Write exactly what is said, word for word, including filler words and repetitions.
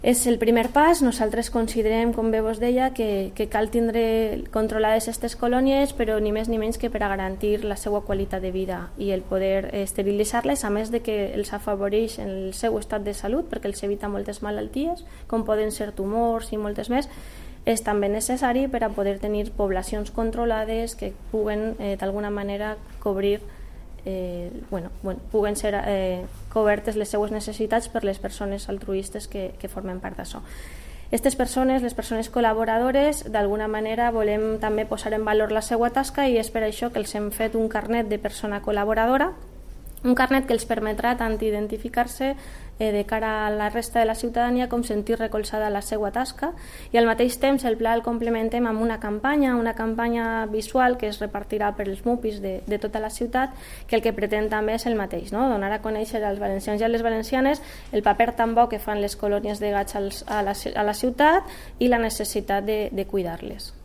És el primer pas. Nosaltres considerem, com bé vos deia, que, que cal tindre controlades aquestes colònies, però ni més ni menys que per a garantir la seva qualitat de vida i el poder esterilitzar-les, a més de que els afavoreix en el seu estat de salut, perquè els evita moltes malalties, com poden ser tumors i moltes més. És també necessari per a poder tenir poblacions controlades que puguen eh, d'alguna manera cobrir Eh, bueno, bueno, puguen ser eh, cobertes les seues necessitats per les persones altruistes que, que formen part d'això. Aquestes persones, les persones col·laboradores, d'alguna manera volem també posar en valor la seva tasca i és per això que els hem fet un carnet de persona col·laboradora, un carnet que els permetrà tant identificar-se eh, de cara a la resta de la ciutadania com sentir recolzada la seva tasca, i al mateix temps el pla el complementem amb una campanya, una campanya visual que es repartirà per els MUPIs de, de tota la ciutat, que el que pretén també és el mateix, no? Donar a conèixer als valencians i a les valencianes el paper tan bo que fan les colònies de gats als, a, la, a la ciutat i la necessitat de, de cuidar-les.